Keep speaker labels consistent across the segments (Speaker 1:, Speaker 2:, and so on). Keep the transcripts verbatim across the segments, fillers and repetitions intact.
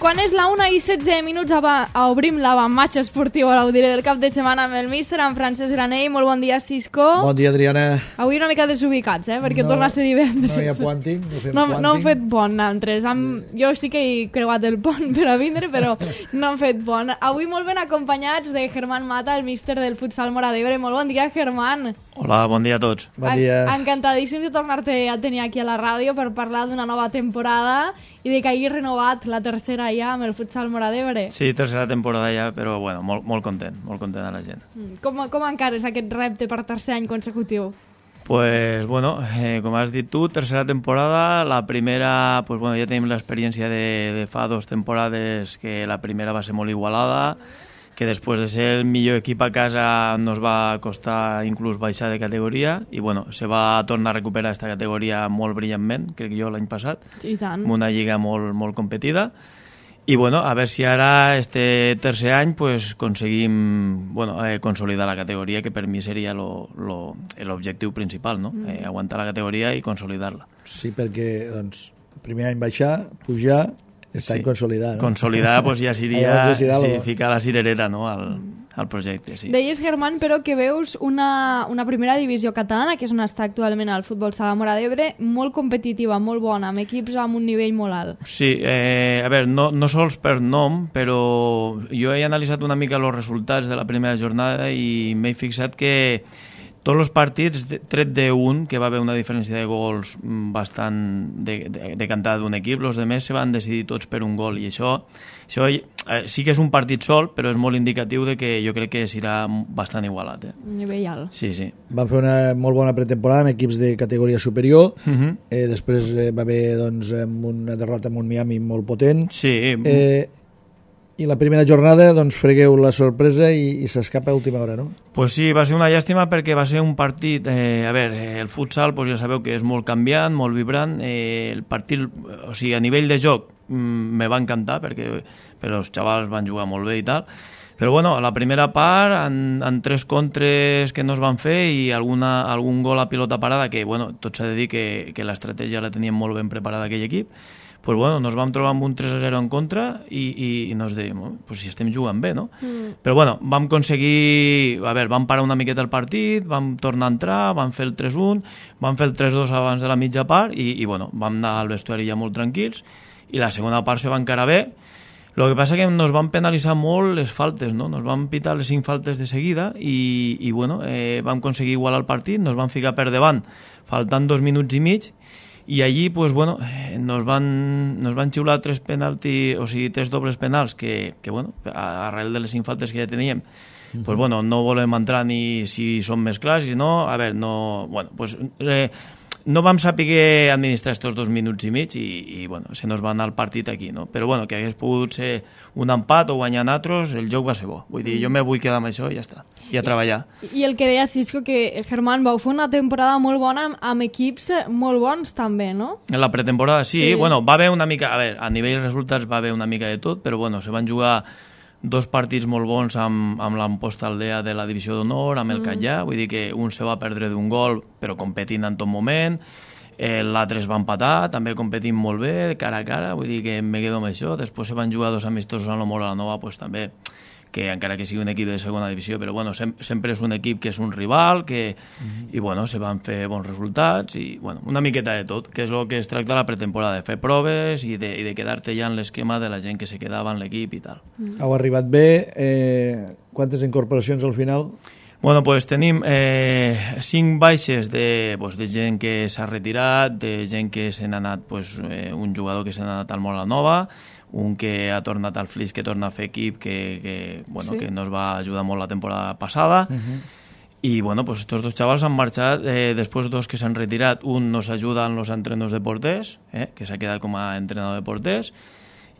Speaker 1: quan és la una i setze minuts obrim l'avanmatx esportiu a l'Audire del cap de setmana amb el míster, en Francesc Granell. Molt bon dia, Cisco.
Speaker 2: Bon dia, Adriana.
Speaker 1: Avui una mica desubicats, eh? Perquè
Speaker 2: no,
Speaker 1: torna a ser divendres.
Speaker 2: No hi ha puanting, no fem
Speaker 1: no,
Speaker 2: puanting.
Speaker 1: No hem fet pont, nosaltres. Amb... Jo sí que he creuat el pont per a vindre, però no hem fet pont. Avui molt ben acompanyats de Germán Mata, el míster del futsal Móra d'Ebre. Molt bon dia, Germán.
Speaker 3: Hola, bon dia a tots.
Speaker 2: Bon dia.
Speaker 1: En encantadíssim de tornar-te a tenir aquí a la ràdio per parlar d'una nova temporada i de que hagi renovat la tercera ja amb el futsal Móra d'Ebre.
Speaker 3: Sí, tercera temporada ja, però bueno, molt, molt content, molt content a la gent.
Speaker 1: Com, com encares aquest repte per tercer any consecutiu?
Speaker 3: Pues bueno, eh, com has dit tu, tercera temporada, la primera, pues bueno, ja tenim l'experiència de, de fa dos temporades que la primera va ser molt igualada, que després de ser el millor equip a casa nos va costar inclús baixar de categoria i bueno, se va tornar a recuperar aquesta categoria molt brillantment, crec jo l'any passat,
Speaker 1: i tant.
Speaker 3: Amb una lliga molt, molt competida. I bueno, a veure si ara, este tercer any, pues, aconseguim bueno, eh, consolidar la categoria, que per mi seria l'objectiu principal, no? Mm. Eh, aguantar la categoria i consolidar-la.
Speaker 2: Sí, perquè doncs, el primer any baixar, pujar, està sí. consolidar. No?
Speaker 3: Consolidar pues, ja seria
Speaker 2: ja serà
Speaker 3: sí,
Speaker 2: lo...
Speaker 3: ficar la cirereta no, al, al projecte. Sí.
Speaker 1: Deies, Germán, però que veus una, una primera divisió catalana, que és on està actualment el futbol sala Móra d'Ebre, molt competitiva, molt bona, amb equips amb un nivell molt alt.
Speaker 3: Sí, eh, a veure, no, no sols per nom, però jo he analitzat una mica els resultats de la primera jornada i m'he fixat que tots els partits, tret d'un, que va haver una diferència de gols bastant decantada de, de d'un equip, els altres se van decidir tots per un gol, i això, això eh, sí que és un partit sol, però és molt indicatiu de que jo crec que serà bastant igualat. Eh?
Speaker 1: Nivell alt.
Speaker 3: Sí, sí.
Speaker 2: Van fer una molt bona pretemporada amb equips de categoria superior,
Speaker 3: uh -huh.
Speaker 2: eh, després eh, va haver doncs, una derrota amb un Miami molt potent.
Speaker 3: Sí.
Speaker 2: Eh, I la primera jornada doncs, fregueu la sorpresa i, i s'escapa a última hora, no?
Speaker 3: Pues sí, va ser una llàstima perquè va ser un partit... Eh, a veure, el futsal pues ja sabeu que és molt canviant, molt vibrant. Eh, el partit, o sigui, a nivell de joc mm, me va encantar perquè, perquè els xavals van jugar molt bé i tal. Però bueno, a la primera part, en, en tres contres que no es van fer i alguna, algun gol a pilota parada, que bueno, tot s'ha de dir que, que l'estratègia la tenien molt ben preparada aquell equip, pues bueno, nos vam trobar amb un tres a zero en contra i, i, i nos dèiem, oh, pues si estem jugant bé, no? Mm. Però bueno, vam aconseguir, a veure, vam parar una miqueta el partit, vam tornar a entrar, vam fer el tres un, vam fer el tres dos abans de la mitja part i, i bueno, vam anar al vestuari ja molt tranquils i la segona part se va encara bé. El que passa que nos van penalitzar molt les faltes, no? Nos van pitar les cinc faltes de seguida i, i bueno, eh, vam aconseguir igualar el partit, nos van ficar per davant faltant dos minuts i mig. I allí, pues, bueno, nos van, nos van xiular tres penaltis, o sigui, tres dobles penals que, que bueno, arrel de les cinc faltes que ja teníem, uh-huh. pues, bueno, no volem entrar ni si són més clars i no, a veure, no, bueno, pues, eh, no vam saber administrar estos dos minuts i mig i, i bueno, se nos va anar el partit aquí, no? Però, bueno, que hagués pogut ser un empat o guanyar nosaltres, el joc va ser bo. Vull dir, jo me vull quedar amb això i ja està. I a treballar.
Speaker 1: I, i el que deia Cisco, que Germán, vau fer una temporada molt bona amb, amb equips molt bons també, no?
Speaker 3: En la pretemporada sí, sí, bueno, va haver una mica, a veure, a nivell de resultats va haver una mica de tot, però bueno, se van jugar dos partits molt bons amb, amb l'Amposta Aldea de la Divisió d'Honor, amb el mm. Catllà, vull dir que un se va perdre d'un gol, però competint en tot moment, eh, l'altre es va empatar, també competint molt bé, cara a cara, vull dir que me quedo amb això, després se van jugar dos amistosos a la Móra la Nova, pues també, que encara que sigui un equip de segona divisió, però bueno, sem sempre és un equip que és un rival, que, mm-hmm. i bueno, se van fer bons resultats, i bueno, una miqueta de tot, que és el que es tracta la pretemporada, de fer proves i de, i de quedar-te ja en l'esquema de la gent que se quedava en l'equip i tal.
Speaker 2: Mm. Heu arribat bé, eh, quantes incorporacions al final?
Speaker 3: Bueno, pues tenim eh, cinc baixes de, pues, de gent que s'ha retirat, de gent que se n'ha anat, pues, eh, un jugador que se n'ha anat al Móra Nova, un que ha tornat al Flix, que torna a fer equip, que, que, bueno, sí. que nos va ajudar molt la temporada passada. Uh-huh. I bueno, pues estos dos chavals han marxat, eh, després dos que s'han retirat, un nos ajuda en los entrenos de porters, eh, que s'ha quedat com a entrenador de porters,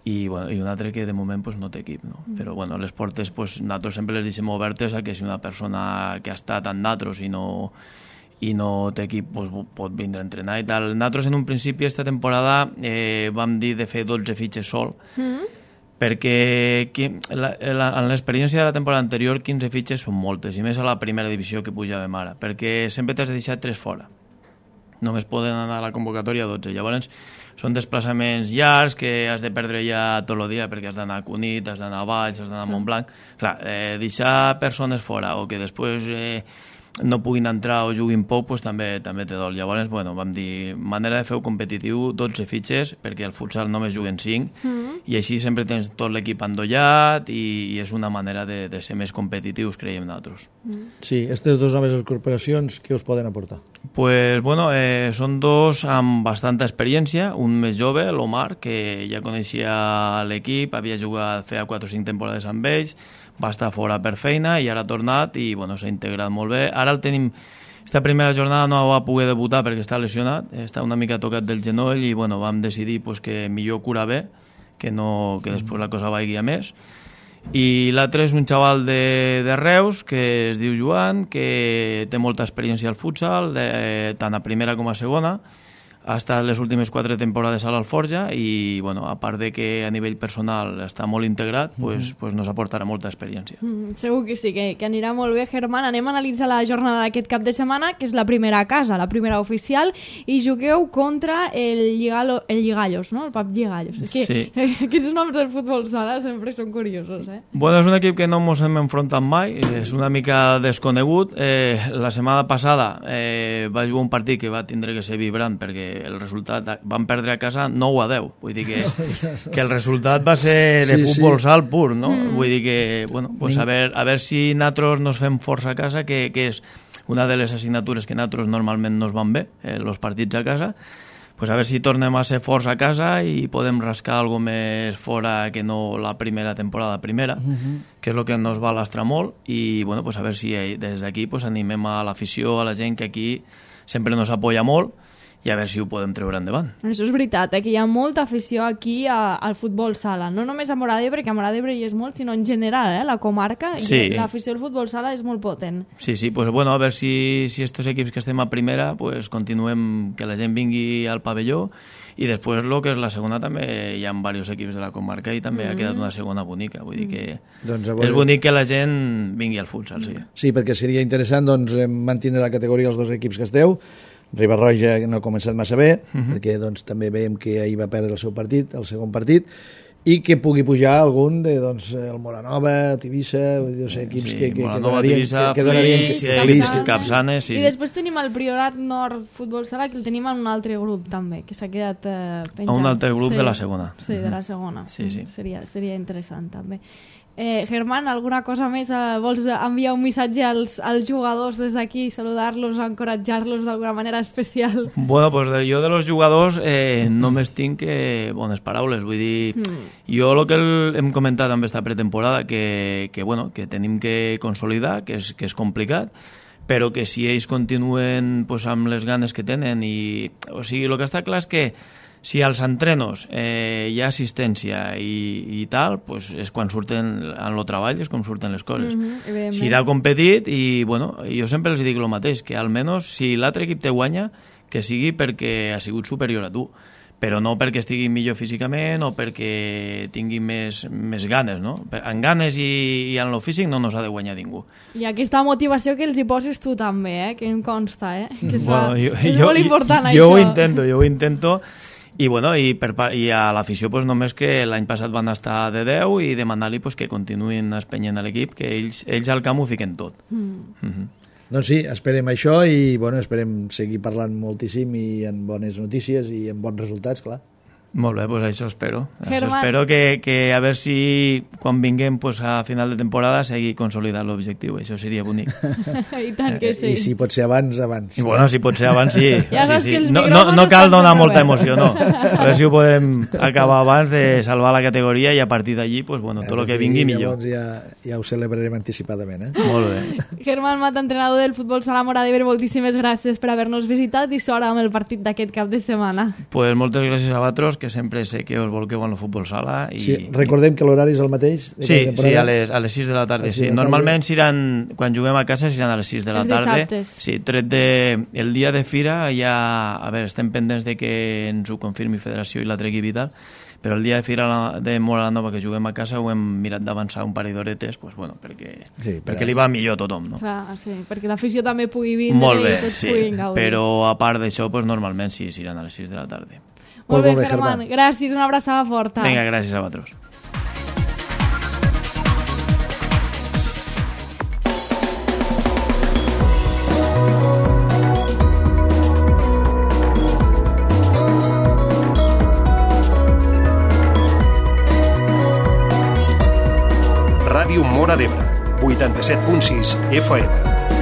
Speaker 3: i, bueno, i un altre que de moment pues, no té equip, no? Mm. Però bueno, les portes pues, nosaltres sempre les deixem obertes a que si una persona que ha estat amb nosaltres i no, i no té equip pues, pot vindre a entrenar i tal. Nosaltres en un principi esta temporada eh, vam dir de fer dotze fitxes sol, mm. perquè la, la, en l'experiència de la temporada anterior quinze fitxes són moltes, i més a la primera divisió que pujàvem ara, perquè sempre t'has de deixar tres fora. Només poden anar a la convocatòria dotze. Llavors són desplaçaments llargs que has de perdre ja tot el dia perquè has d'anar a Cunit, has d'anar a Valls, has d'anar a Montblanc. Clar, eh, deixar persones fora o que després eh, no puguin entrar o juguin poc, pues, també també té dol. Llavors, bueno, vam dir, manera de fer-ho competitiu, dotze fitxes, perquè al futsal només juguen cinc, mm. i així sempre tens tot l'equip endollat i, i és una manera de, de ser més competitius, creiem nosaltres.
Speaker 2: Mm. Sí, aquestes dues noves corporacions, què us poden aportar?
Speaker 3: Pues, bueno, eh, són dos amb bastanta experiència, un més jove, l'Omar, que ja coneixia l'equip, havia jugat, feia quatre o cinc temporades amb ells, va estar fora per feina i ara ha tornat i bueno, s'ha integrat molt bé. Ara el tenim, esta primera jornada no va poder debutar perquè està lesionat, està una mica tocat del genoll i bueno, vam decidir pues, que millor curar bé, que, no, que després la cosa vagi a més. I l'altre és un xaval de, de Reus que es diu Joan, que té molta experiència al futsal, de, tant a primera com a segona. Ha estat les últimes quatre temporades a l'Alforja i, bueno, a part de que a nivell personal està molt integrat, pues, mm-hmm. pues nos aportarà molta experiència. Mm,
Speaker 1: segur que sí, que, que anirà molt bé. Germán, anem a analitzar la jornada d'aquest cap de setmana, que és la primera a casa, la primera oficial, i jugueu contra el, Lligalo, el Lligallos, no? El Pap Lligallos. És que
Speaker 3: sí.
Speaker 1: Aquests noms del futbol sala sempre són curiosos, eh?
Speaker 3: Bueno, és un equip que no ens hem enfrontat mai, és una mica desconegut. Eh, la setmana passada eh, va jugar un partit que va tindre que ser vibrant perquè el resultat, van perdre a casa nou a deu, vull dir que, que el resultat va ser de sí, futbol sí. sal pur, no? Mm. Vull dir que, bueno, pues a ver, a ver si nosaltres nos fem força a casa, que, que és una de les assignatures que nosaltres normalment nos van bé, eh, els partits a casa, pues a ver si tornem a ser forts a casa i podem rascar algo més fora que no la primera temporada primera, mm-hmm. que és el que nos va lastrar molt, i bueno, pues a ver si des d'aquí pues animem a l'afició, a la gent que aquí sempre nos apoya molt, i a veure si ho podem treure endavant.
Speaker 1: Això és veritat, eh? Que hi ha molta afició aquí a, al futbol sala, no només a Móra d'Ebre, perquè a Móra d'Ebre hi és molt, sinó en general, eh? La comarca,
Speaker 3: sí.
Speaker 1: i l'afició al futbol sala és molt potent.
Speaker 3: Sí, sí, pues bueno, a veure si, si estos equips que estem a primera, pues continuem, que la gent vingui al pavelló, i després el que és la segona també hi ha diversos equips de la comarca i també mm. ha quedat una segona bonica, vull dir que doncs veure... és bonic que la gent vingui al futsal, sí.
Speaker 2: Sí, perquè seria interessant doncs, mantenir la categoria els dos equips que esteu. Riba-roja no ha començat massa bé, uh-huh. perquè doncs, també veiem que ahir va perdre el seu partit, el segon partit, i que pugui pujar algun de doncs, el Moranova, el Tivissa, no sé, equips sí, que, que,
Speaker 3: Moranova,
Speaker 2: que donarien...
Speaker 3: Tivissa,
Speaker 2: que, que donarien
Speaker 3: Flix,
Speaker 2: que,
Speaker 3: Flix, que Capçanes... Sí.
Speaker 1: I després tenim el Priorat Nord Futbol Sala, que el tenim en un altre grup també, que s'ha quedat eh, penjat.
Speaker 3: A un altre grup
Speaker 1: sí.
Speaker 3: de la segona.
Speaker 1: Sí, de la segona.
Speaker 3: Sí, sí.
Speaker 1: Seria, seria interessant també. Eh, Germán, alguna cosa més? Eh, vols enviar un missatge als, als jugadors des d'aquí, saludar-los, encoratjar-los d'alguna manera especial?
Speaker 3: Bueno, pues de, jo de los jugadors eh, només tinc que bones paraules, vull dir, mm. jo el que el, hem comentat amb esta pretemporada, que, que, bueno, que tenim que consolidar, que és, que és complicat, però que si ells continuen pues, amb les ganes que tenen, i, o sigui, el que està clar és que si als entrenos eh, hi ha assistència i, i tal, pues és quan surten en el treball, és com surten les coses. Mm-hmm, si irà competit, i bueno, jo sempre els dic el mateix, que almenys si l'altre equip te guanya, que sigui perquè ha sigut superior a tu, però no perquè estigui millor físicament o perquè tingui més, més ganes, no? En ganes i, i en lo físic no nos ha de guanyar ningú.
Speaker 1: I aquesta motivació que els hi poses tu també, eh? Que em consta, eh? Que és,
Speaker 3: bueno,
Speaker 1: la,
Speaker 3: jo,
Speaker 1: és
Speaker 3: jo,
Speaker 1: molt important,
Speaker 3: jo,
Speaker 1: això.
Speaker 3: Jo ho intento, jo ho intento, i, bueno, i, per, i a l'afició pues, només que l'any passat van estar de deu i demanar-li pues, que continuïn espenyent a l'equip, que ells, ells al camp ho fiquen tot. Mm. Mm-hmm.
Speaker 2: Doncs sí, esperem això i bueno, esperem seguir parlant moltíssim i en bones notícies i en bons resultats, clar.
Speaker 3: Molt bé, pues això espero. Això espero que, que a veure si quan vinguem pues, a final de temporada segui consolidant l'objectiu. Això seria bonic.
Speaker 1: I tant que sí.
Speaker 2: I si pot ser abans, abans.
Speaker 3: I bueno, si pot ser abans, sí.
Speaker 1: Ja
Speaker 3: sí,
Speaker 1: sí, sí.
Speaker 3: No, no, no cal donar molta emoció, no. A veure si ho podem acabar abans de salvar la categoria i a partir d'allí, pues, bueno, tot el que vingui millor.
Speaker 2: Llavors ja, ja ho celebrarem anticipadament. Eh?
Speaker 3: Molt bé.
Speaker 1: Germán Mata, entrenador del futbol sala Móra d'Ebre, moltíssimes gràcies per haver-nos visitat i sort amb el partit d'aquest cap de setmana.
Speaker 3: Pues moltes gràcies a vosaltres, que sempre sé que us volqueu en el futbol sala. I...
Speaker 2: Sí, recordem que l'horari és el mateix?
Speaker 3: Sí, sí, a les, a les sis de la tarda. Sí. Normalment seran, quan juguem a casa seran a les sis de la tarda.
Speaker 1: Els dissabtes.
Speaker 3: Sí, tret de, el dia de fira ja, a veure, estem pendents de que ens ho confirmi Federació i l'altre equip i tal, però el dia de Fira de Móra la Nova, que juguem a casa, ho hem mirat d'avançar un parell d'horetes, pues, bueno, perquè,
Speaker 2: Sí, però-
Speaker 3: perquè li va millor a tothom, no?
Speaker 1: Clar, sí, perquè l'afició també pugui vindre
Speaker 3: Molt bé,
Speaker 1: i tots
Speaker 3: sí,
Speaker 1: puguin gaudir.
Speaker 3: però a part d'això, pues, normalment sí, s'iran a les sis de la tarda.
Speaker 1: Molt bé,
Speaker 2: Molt bé,
Speaker 1: Germán,
Speaker 2: Germán.
Speaker 1: gràcies, una abraçada forta.
Speaker 3: Vinga, gràcies a vosaltres.
Speaker 4: Ràdio Móra d'Ebre, vuitanta-set punt sis F M.